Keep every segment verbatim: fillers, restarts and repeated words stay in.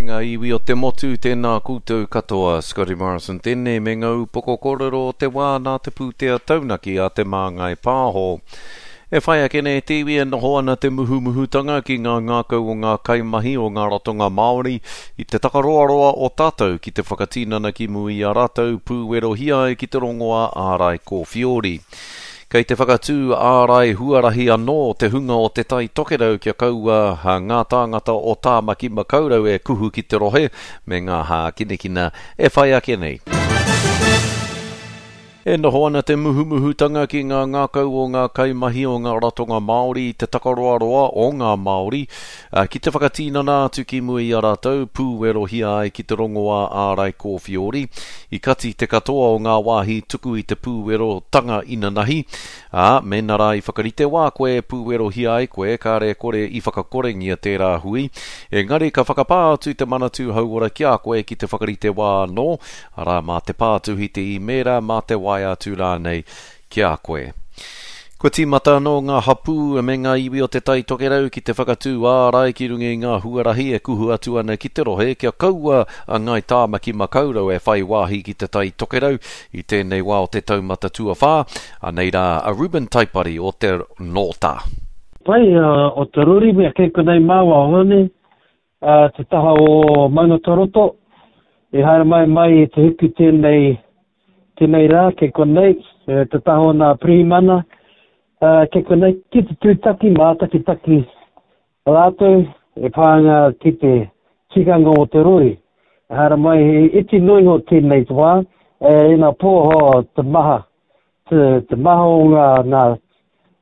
ngā iwi o te motu, tēnā koutou katoa, Scotty Morrison tēnei me ngā upoko kōrero o te wā nā te pūtea taunaki a Te Māngai Pāho. E whai ake nei te iwi e noho ana te muhumuhutanga ki ngā ngākau o ngā kaimahi o ngā ratonga Māori i te takaroaroa o tātou ki te whakatinana ki mua i a rātou pūwerohia ai ki te rongoā ārai kōwhiori. Kei te whakatū ārai huarahi anō te hunga o Te Tai Tokerau kia kaua ngā tāngata o Tāmaki Makaurau e kuhu ki te rohe me ngā hākinakina e whai ake nei. E noho ana te muhumuhutanga ki ngā ngākau o ngā kaimahi o ngā ratonga Māori i te takaroaroa o ngā Māori ki te whakatinana atu ki mua i a rātou pūwerohia ai ki te rongoā ārai kōwhiori. I kati te katoa o ngā wāhi tuku i te pūwerotanga inanahi, ā, mēnā rā i whakarite wā koe e pūwerohia ai koe, kāre kore i whakakorengia tērā hui. Engari ka whakapā atu te Manatū Hauora ki a koe ki te whakarite wā anō, arā, mā te pātuhi, te īmēra, mā te waea atu rānei ki a koe. Kua tīmata anō ngā hapū me ngā iwi o Te Tai Tokerau ki te whakatū ārai ki runga i ngā huarahi e kuhu atu ana ki te rohe kia kaua a Ngāi Tāmaki Makaurau e whai wāhi ki Te Tai Tokerau i tēnei wā o te taumata tuawhā. Anei rā a Reuben Taipari o te Nōta. Pai o te rori mea kei konei māua o Hone, te taha o Maungataroto, e haere mai mai i te hiku tēnei, tēnei rā kei konei, te taha o nā pirihimana, kei konei ki te tūtaki, mātakitaki rātou e pā ana ki te tikanga o te rori. E haere mai he iti noa iho tēnei te wā, e ina pōho te maha, te, te maha o ngā, ngā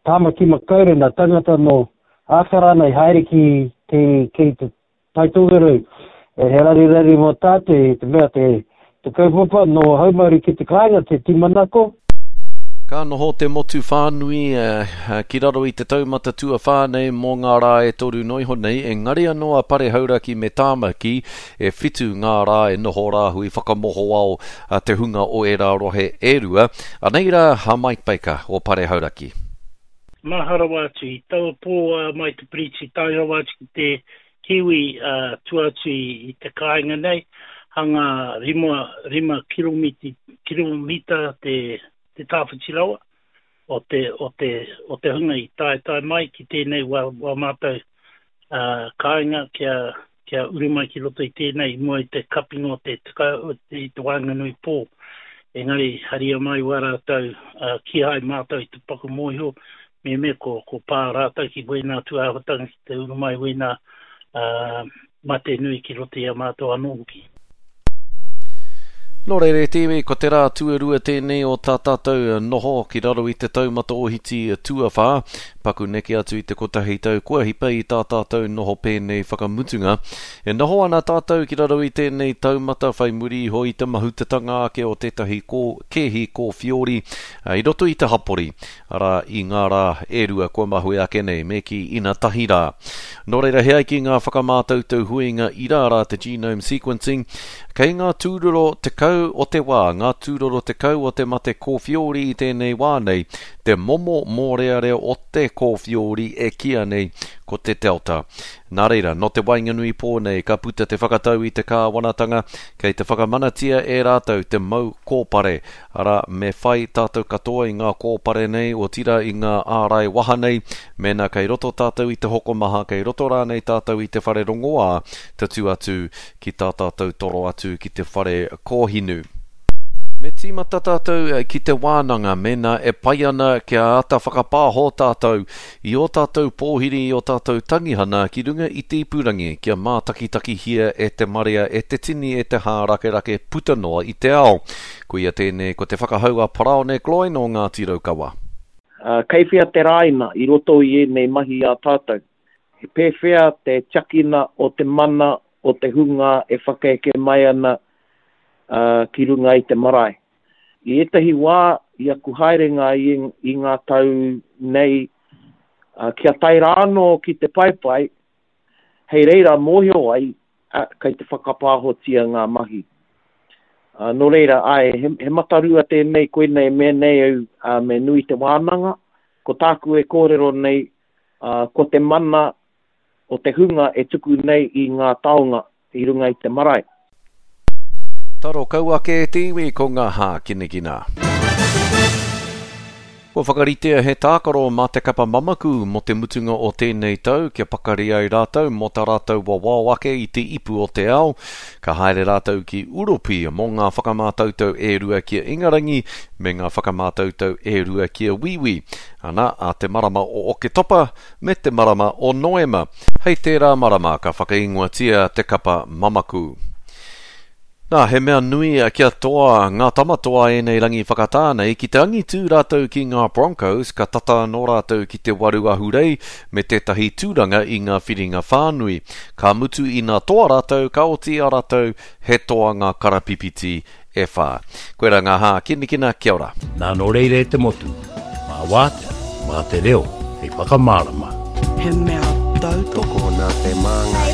Tāmaki Makaurau, ngā tangata nō Ākarana i haere ki, ki, ki te Tai Tokerau. E he raruraru mō tātou i te mea te, te kaupapa nō haumaru ki te kāinga, te tūmanako. Ka noho te motu whānui ki raro i te taumata tuawhā nei mō ngā rā e toru noa iho nei, engari anō a Pare Hauraki me Tāmaki e whitu ngā rā e noho rāhui whakamohoao te hunga o ērā rohe e rua. Anei rā a Mike Baker o Pare Hauraki. Maha rawa atu i taua pō a mai te piriti tae rawa atu ki te kiwi tua atu i te kāinga nei, hanga rima, rima kiromiti, kiromita te, te tāwhiti rawa o te, o te, o te hunga i taetae mai ki tēnei wā, wā mātou uh, kāinga kia, kia uru mai ki roto i tēnei i mua i te kapinga o te, te, te, te waenganui pō. Engari haria mai wā rātou, uh, kīhai mātou i te paku mōhio, me me ko, ko pā rātou ki wēnā tūāhuatanga ki te uru mai wēnā uh, mate nui ki roto i a mātou anō hoki. Nō reira e te iwi, ko te rā tuarua tēnei o tā tātou noho ki raro i te taumata ohiti tuawhā, paku neke atu i te kotahi tau kua hipa i tā tātou noho pēnei whakamutunga. E noho ana tātou ki raro i tēnei taumata whai muri iho i te mahutatanga ake o tētahi kō, kēhi kōwhiori i roto i te hapori, arā i ngā rā e rua kua mahue ake nei, me kī ina tahi rā. Nō reira, he ai ki ngā whakamātautau huinga ira rā te genome sequencing, kei ngā tūroro tekau o te wā, ngā tūroro tekau o te mate kōwhiori i tēnei wā nei, te momo mōrearea o te kōwhiori e kīa nei ko te Delta. Nā reira, nō te waenganui pō nei ka puta te whakatau i te kāwanatanga, kei te whakamanatia e rātou te mau kōpare. Arā, me whai tātou katoa i ngā kōpare nei, otirā i ngā ārai waha nei, mēnā kei roto tātou i te hokomaha, kei roto rānei tātou i te whare rongoā, tatū atu ki tā tātou toro atu ki te whare kōhinu. Me tīmata tātou ki te wānanga mēnā e pai ana kia āta whakapāho tātou i ō tātou pōhiri i ō tātou tangihana ki runga i te ipurangi kia mātakitakihia e te marea, e te tini, e te hārakerake puta noa i te ao. Koia tēnei ko te whakahau a Paraone Gloyne o Ngāti Raukawa. Uh, kei whea te rāina i roto i ēnei mahi a tātou. He pēwhea te tiakina o te mana o te hunga e whakaeke mai ana Uh, ki runga i te marae. I ētahi wā, i aku haerenga i, i ngā tau nei, uh, kia tae rānō ki te paepae, hei reira mōhio ai, uh, kei te whakapāhotia ngā mahi. Uh, nō reira, ai, he, he matarua tēnei, koinei me nei au, uh, me nui te wānanga, ko tāku e kōrero nei, uh, ko te mana o te hunga e tuku nei i ngā taonga, i runga i te marae. Taro kau ake e te iwi ko ngā hākinakina. Kua whakaritea he tākaro mā te kapa mamaku mō te mutunga o tēnei tau kia pakari ai rātou mō tā rātou wawao ake i te ipu o te ao. Ka haere rātou ki Uropi mō ngā whakamātautau e rua ki a Ingarangi me ngā whakamātautau e rua ki a Wīwī. Ana, a te marama o Oketopa me te marama o Noema. Hei tērā marama ka whakaingoatia te kapa mamaku. Nā, he mea nui kia toa ngā tama toa ēnei rangi whakatā nei ki te angitū rātou ki ngā Broncos ka tata anō rātou ki te waru ahurei me tētahi tūranga i ngā whiringa whānui. Ka mutu ina toa rātou, ka oti a rātou he toa ngā karapipiti e whā. Koera ngā hākinakina, kia ora. Nā nō reira e te motu, mā wātea, mā te reo, hei whakamārama. He mea tautoko. Tokona te māngai.